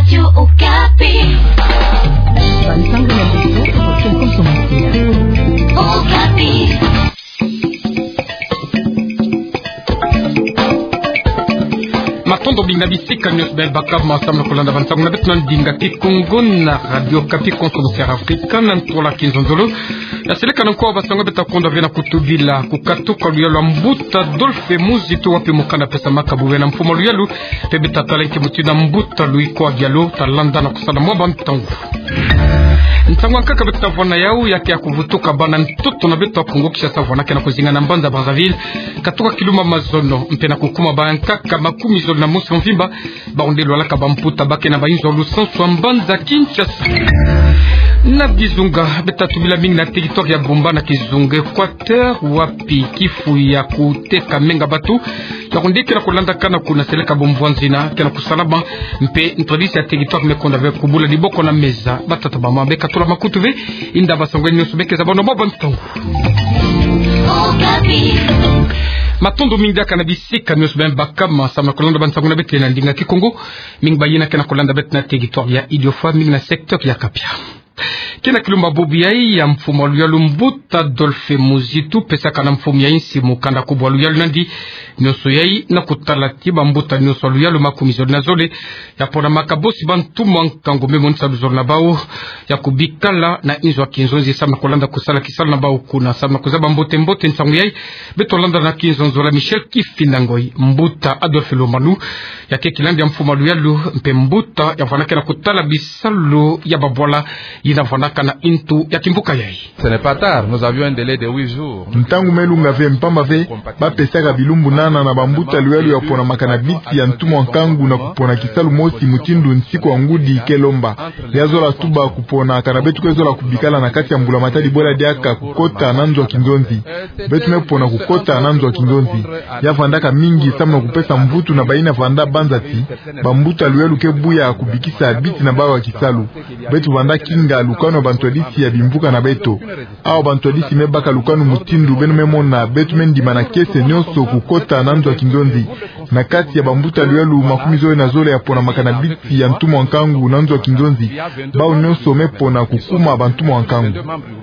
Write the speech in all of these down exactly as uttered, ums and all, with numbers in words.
Radio Okapi. Bansango na biso, Okapi. Matondo mingi na bisika nyonso beno baka ma samu na kulanda bansango na beto na ndinga Kikongo na Radio Okapi, konso na Sierra Africa, na ntola kinzonzolo. Ya seleka na nkoa bansango beto ta konda ve na kutubila kukatuka luyalu ya mbuta Adolphe Muzitu, wapi mokanda pesamaka bubu na mfumu a luyalu, mpe beto ta tala nki mutindu mbuta Louis Koa Diallo ta landa na kusala mwa bantangu. Ntangu ya nkaka beto ta vwanda yau, ya ke ya kuvutuka bana ntoto na beto ya Kongo Kinshasa, vwandaka na kuzinga na mbanza Brazzaville, katuka kilumbu ya mazono, mpe na kukuma bankaka makumi zole na mosi mvimba, bawu nde lwalaka bamputa ba ke na bainzo ya lusansu ya mbanza Kinshasa. Na bizunga, beto ta tubila mingi na territoire ya Bumba na kizunga Équateur, wapi kifu ya kuteka menga bato ya kundeke na kulandakana kuna seleka bomvwanzina ke na kusalama, mpe ntwadisi ya territoire me konda ve kubula diboko na meza. Batata, bamama, beka tula makutu ve, inda bansango nyonso beke za beno mwa bantangu. Matondo mingi diaka na bisika nyonso beno baka ma samu na kulanda bansango na beto na ndinga Kikongo. Mingi bayina ke na kulanda beto na territoire ya Idiofa, mingi na secteur ya Kapia. Ke na kilumbu ya bubu yai ya mfumu a luyalu mbuta Adolphe Muzitu pesaka na mfumu ya insi mokanda kubwa luyalu nandi, nyonso yai na kutala ti bambuta nyonso ya luyalu makumi zole na zole ya ponamaka bosi bantu mwa nkangu me monisa luzolo na bawu ya kubikala na inzo ya kinzonzi samu na kulanda kusala kisalu na bawu kuna. Samu na kuzaba mbote-mbote nsangu yai, beto landa na kinzonzolo ya Michel Kifinda Ngoy, mbuta Adolphe Lomanu, ya ke kilandi ya mfumu a luyalu, mpe mbuta ya vwandaka na kutala bisalu ya babwala yina vwandaka na ntu ya kimvuka yai. Ce n'est pas tard, nous avions un délai de huit jours. Ntangu me lunga ve, mpamba ve, bapesaka bilumbu nana na bambuta luyalu ya ponamaka na biti ya ntu mwa nkangu na kupona kisalu mosi mutindu nsiku ya ngudi ke lomba. Ya zola tuba kupona kana beto kwe zola kubikala na kati ya mbula matadi bwela diaka kukota na nzo ya kinzonzi. Beto me pona kukota na nzo ya kinzonzi. Ya vwandaka mingi samu na kupesa mvutu na bayina vwanda banza ti bambuta luyalu ke buya kubikisa biti na bawu ya kisalu. Beto vwanda kinga lukanu ya bantwadisi ya bimvuka na beto. Awu bantwadisi me baka lukanu mutindu beno me mona, beto me ndimana kiese nyonso kukota na nzo ya kinzonzi. Na kati ya bambuta luyalu makumi zole na zole ya ponamaka na biti ya ntu mwa nkangu na nzo ya kinzonzi, bawu nyonso me pona kukuma bantu mwa nkangu.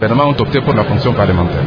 Gouvernement ont opté pour la fonction parlementaire.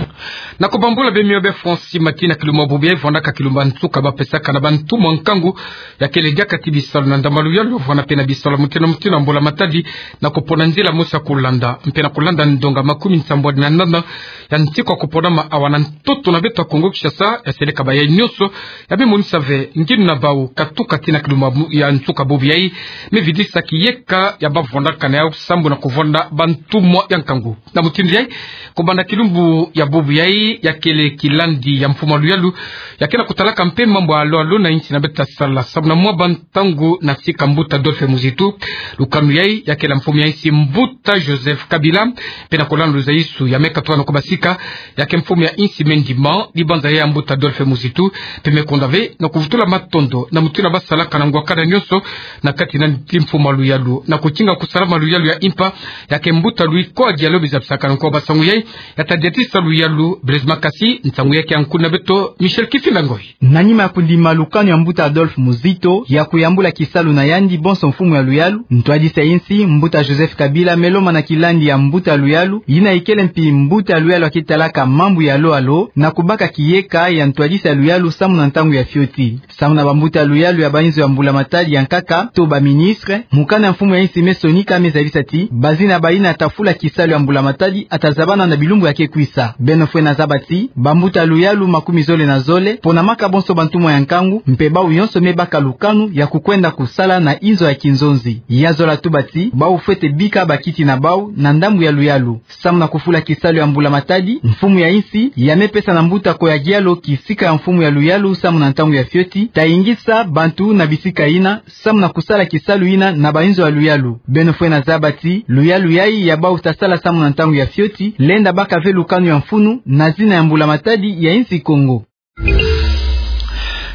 Na kubambula beno mio be Francis Mati, na kilumbu ya bubu yai vwandaka kilumbu ya nsuka bapesaka na bantu mwa nkangu ya kele diaka ti bisalu na ndambu ya luyalu, vwanda mpe na bisalu ya mutindu na mutindu ya mbula matadi, na kupona nzila mosi ya kulanda, mpe na kulanda ndonga makumi nsambwadi na nana ya nsiku ya kuponama awa na ntoto na beto ya Kongo Kinshasa, ya seleka bayai nyonso, ya me monisa ve ngininaki bawu katuka ti na kilumbu ya nsuka bubu yai, me vidisa kiyeka ya bavwandaka na yau sambu na kuvwanda bantu mwa ya nkangu. Na mutindu yai, kubanda kilumbu ya bubu yai, ya kele kilandi ya mfumu a luyalu, ya ke na kutalaka mpe mambu ya alo-alo na insi na beto ta sala. Samu na mwa bantangu na sika mbuta Adolphe Muzitu, lukanu yai ya kele ya mfumu ya insi mbuta Joseph Kabila, mpe na kulanda luzaisu ya me katuka na kubasika, ya ke mfumu ya insi me ndima dibanza ya mbuta Adolphe Muzitu, mpe me konda ve na kuvutula matondo na mutindu basalaka na ngwakana nyonso na kati na nti mfumu a luyalu, na kukinga kusalama luyalu ya impa, ya ke mbuta Louis Koa Diallo biza bisaka na nkoa bansangu yai, ya ta diatisa luyalu. Blaise Makasi, nsangu ya ke ya nkuna beto, Michel Kifinda Ngoy. Na nima ya kundima lukanu ya mbuta Adolphe Muzitu ya kuyambula kisalu na yandi bonso mfumu ya luyalu, ntwadisi ya insi, mbuta Joseph Kabila, me lomba na kilandi ya mbuta luyalu, yina ikele mpi mbuta luyalu ya kitalaka mambu ya alo-alo, na kubaka kiyeka ya ntwadisi ya luyalu samu na ntangu ya fioti. Samu na bambuta luyalu ya bainzo ya mbula matadi ya nkaka to ba ministre, mokanda ya mfumu ya insi me sonika me zabisa ti bazina bayina ta fula kisalu ya mbula matadi a ta zabana na bilumbu ya ke kwisa. Beno fwena zaba ti bambuta luyalu makumi zole na zole, ponamaka bonso bantu mwa ya nkangu, mpe bawu nyonso me baka lukanu ya kukwenda kusala na inzo ya kinzonzi. Ya zola tuba ti bawu fwete bika bakiti na bawu na ndambu ya luyalu. Samu na kufula kisalu ya mbula matadi, mfumu ya insi ya me pesa na mbuta Koa Diallo kisika ya mfumu ya luyalu samu na ntangu ya fioti, ta ingisa bantu na bisika yina, samu na kusala kisalu yina na bainzo ya luyalu. Beno fwena zaba ti luyalu yai ya bawu ta sala samu na ntangu ya fioti, lenda baka ve lukanu ya mfunu na zina ya mbula matadi ya insi Kongo.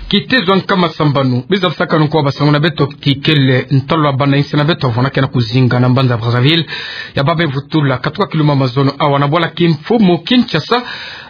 Kitezo ya nkama sambanu, biza bisaka nunku wa basango na beto kikele ntalwa bana insi na beto, vona kena kuzinga na mbanza Brazzaville. Ya babe vutula, katuka kiluma mazono, awa na bwala kimfumu Kinshasa,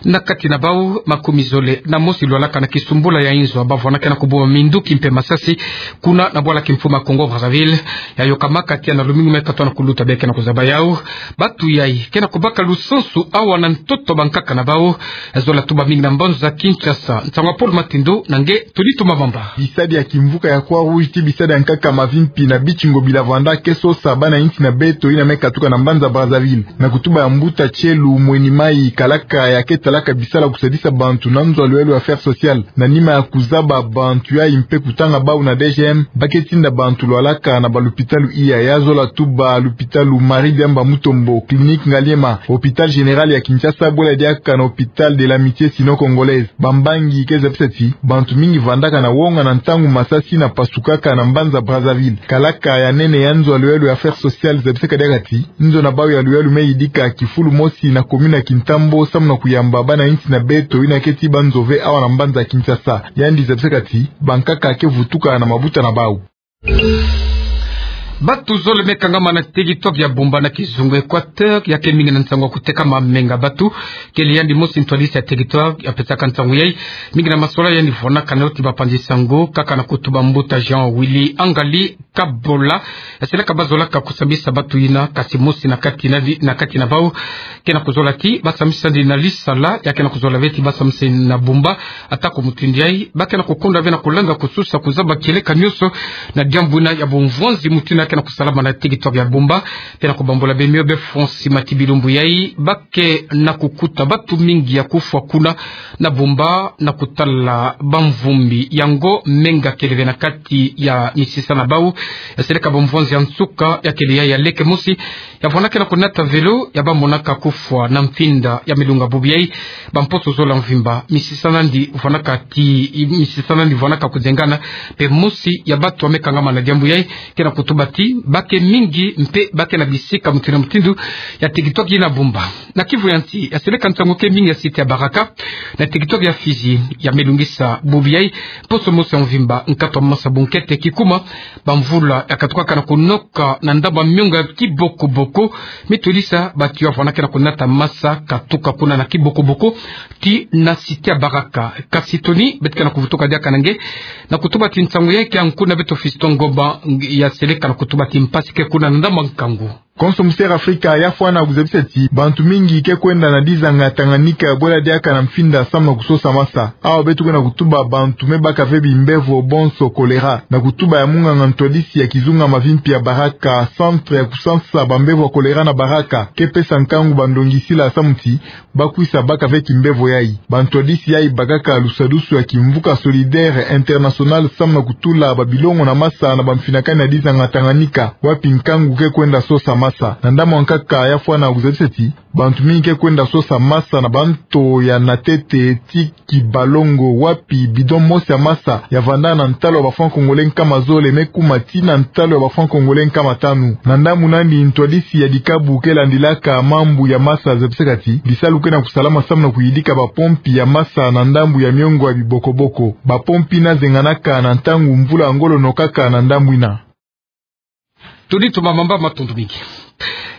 na kati na bau makumi zole na mosi lwalaka na kisumbula ya inzo, bavona kena kubuma minduki mpe masasi, kuna na bwala kimfumu ya Congo Brazzaville. Ya yoka maka tia na lumingu me katwa na kuluta be kena kuzaba yau. Batu yai, kena kubaka lusansu awa na ntoto bankaka na bau. Zola tuba mingi na mbanza Kinshasa. Nsangu ya Paul Matindo na nge Tony Tumamamba. Bisadi ya kimvuka ya Croix Rouge ti bisadi ya nkaka mavimpi na biti ngobila vanda ke sosa bana insi na beto ina me katuka na mbanza Brazzaville. Na kutuba ya mbuta Tielu Mweni Mai, kalaka ya ke talaka bisala kusadisa bantu na nzo ya lwelo ya Affaires Sociales, na nima ya kuzaba bantu yai mpe kutanga bau na D G M, ba ke tinda bantu lwalaka na balupitalu iya, ya zola tuba lupitalu Marie Diamba Mutombo, Clinique Ngaliema, Hôpital Général ya Kinshasa, bwela diaka na Hôpital de l'Amitié Sino-Congolaise. Bambangi ke zabisa ti bantu mingi vandaka na wonga na ntangu masasi na pasukaka na mbanza Brazzaville. Kalaka ya nene ya nzo ya lwelo ya Affaires Sociales zabisaka diaka ti nzo na bau ya lwelo me yidika kifulu mosi na commune ya Kintambo samu na kuyamba bana insi na beto ina ke ti ba nzove awa na mbanza Kinshasa. Yandi zabisaka ti bankaka ke vutuka na mabuta na bau. Batu zole me kangama na territoire ya Bumba na kizunga Équateur, ya ke mingi na nsangu ya kuteka mamenga batu. Kele yandi mosi ntwadisi ya territoire ya pesaka nsangu yai. Mingi na masola yandi vwanaka na yo ti bapanzi sango, kaka na kutuba mbuta Jean Willy Angali Kabola. Ya seleka bazolaka kusambisa batu ina, kasi mosi na kati na, na kati na bau kena kuzola ti basambisandi na lisala, ya kena kuzola ve ti basambisandi na Bumba. Atako mutindu yai, ba kena kukonda ve na kulanga kususa kuzaba kieleka nionso na diambu ina ya bumvwanzi mutindu ya kena kusalama na territoire ya Bumba. Kena kubambula be mio be fonsi mati bilumbu yai, ba kena kukuta batu mingi ya kufwa kuna na Bumba na kutala bamvumbi. Yango menga kele ve na kati ya misisa na bau. Ya seleka bumvwanzi ya nsuka ya kele yai ya leke mosi, ya vwanaka na kunata vélo, ya bamonaka kufwa na mfinda ya milunga bubu yai. Bamposo zola mvimba, misisa nandi vwanaka ti, misisa nandi vwanaka kuzengana. Mpe mosi ya batu ya me kangama na diambu yai kena kutuba ti ba ke mingi mpe ba ke na bisika mutindu na mutindu ya territoire ina Bumba. Na Kivu ya nsi, ya seleka nsangu ke mingi ya site ya Baraka na territoire ya Fizi, ya me lungisa bubu yai. Poso mosi ya mvimba, nkatu ya masa bunkete kikuma, bamvula ya katukaka na kunoka na ndambu ya miongo ya kibokoboko me todisa batu ya vwanaka na kunata masa katuka kuna na kibokoboko ti na site ya Baraka. Kasi Tony, beto kena kuvutuka diaka na nge na kutuba ti nsangu yai ke ya nku na beto Fiston Ngoma, ya seleka na kutuba ti mpasi ke kuna na ndambu ya nkangu. Konso Mystère Africa ya fwana kuzabisa ti bantu mingi ke kwenda na dizanga Tanganyika bwela diaka na mfinda samu na kusosa masa. Awa beto kwenda kutuba bantu me baka ve bimbevo bonso choléra. Na kutuba ya munganga ntwadisi ya kizunga mavimpi ya Baraka, centre ya kusansa bambevo ya choléra na Baraka ke pesa nkangu bandongisila samu ti ba kwisa baka ve kimbevo yai. Bantwadisi yai bakaka lusadusu ya kimvuka Solidaire International samu na kutula babilongo na masa na bamfinakani ya dizanga Tanganyika, wapi nkangu ke kwenda sosa masa. Na ndambu ya nkaka ya fwana kuzabisa ti bantu mingi ke kwenda sosa masa na banto ya Natete ti Kibalongo, wapi bidon mosi ya masa ya vanda na ntalu ya ba francs congolais nkama zole me kuma ti na ntalu ya ba francs congolais nkama tanu. Na ndambu nandi, ntwadisi ya dikabu ke landilaka mambu ya masa zabisaka ti bisalu ke na kusalama samu na kuyidika bapompi ya masa na ndambu ya miongo ya bibokoboko. Bapompi ina zenganaka na ntangu mvula ya ngolo nokaka na ndambu ina. Tony Tumamamba, matondo mingi.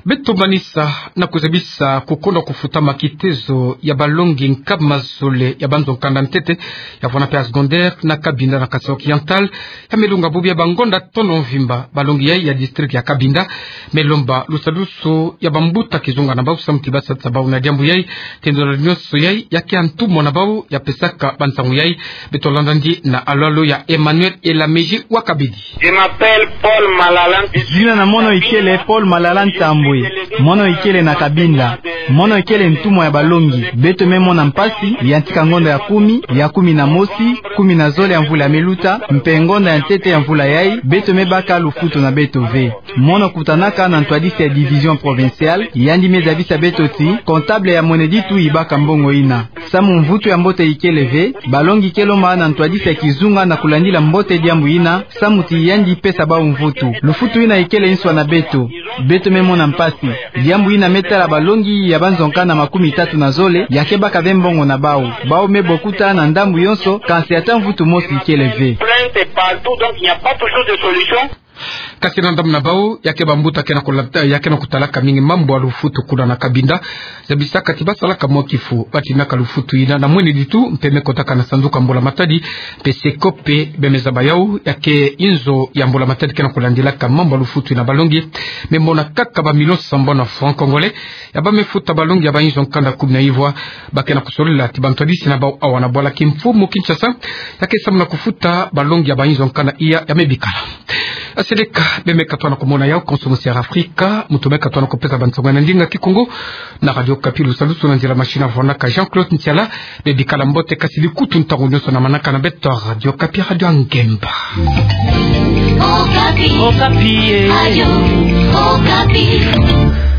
Beto manisa na kuzabisa kukonda kufutama kitezo ya balongi nkama zole ya banzo kanda ntete, ya fwana mpe ya secondaire, na Cabinda na Kasaï Oriental, ya me lunga bubu ya bangonda tono mvimba. Balongi yai ya district ya Cabinda me lomba lusadusu ya bambuta kizunga na bau samu ti ba sadisa bau na diambu yai. Tendolo nionso yai ya ke ya ntumwa na bau ya pesaka bansangu yai. Beto landa ndi na alo-alo ya Emmanuel Elamezi wa Kabedi. Je m'appelle Paul Malala. Zina na mono ikele Paul Malala Ntambwe. Mono ikele na Cabinda. Mono ikele ntumwa ya balongi. Beto me mona mpasi, yantika ngonda ya kumi, ya kumi na mosi, kumi na zole ya mvula ya me luta, mpe ngonda ya ntete ya mvula yai, beto me baka lufutu na beto ve. Mono kutanaka na ntwadisi ya division provinciale, yandi me zabisa beto ti comptable ya mwene ditu ibaka mbongo ina. Samu mvutu ya mbote ikele ve, balongi ke lomba na ntwadisi ya kizunga na kulandila mbote diambu ina, samu ti yandi pesa bau mvutu. Lufutu ina ikele nswa na beto. Beto me mona mpasi. Diambu yina me tala balongi ya banzo-nkanda makumi tatu na zole, ya ke baka ve mbongo na bau. Bau me bokuta na ndambu yonso, kansi ata mvutu mosi kele ve. Kasi na ndambu na bau, ya ke bambuta ke na kulata, ya ke na kutalaka mingi mambu ya lufutu kuna na Cabinda. Zabisaka ti basalaka mwa kifu, batinaka lufutu yina na mwene ditu, mpe me kotaka na sanduku ya mbula-matadi, mpe SECOP, mpe bemeza bayau, ya ke inzo ya mbula-matadi ke na kulandilaka mambu ya lufutu yina balongi. Me mona kaka ba millions sambanu ya francs congolais, ya ba me futa balongi ya ba inzo-nkanda kumi na ivwa, ba ke na kusolila ti bantu ya bisi na bau awa na bwala. Kimfumu Kinshasa, ya ke samu na kufuta balongi ya ba inzo-nkanda iya ya me bikala. Aseleka, be me katuka na kumona yau konso musi ya Afrika, muntu me katuka na kupesa bansango na ndinga Kikongo, na Radio Okapi, lusalusu na nzila machine ya vwanaka Jean-Claude Ntiala, be bikala mbote kasi likutu ntangu nyonso na manaka na beto Radio Okapi, Radio ya ngemba. Okapi. Okapi, eh. Radio Okapi.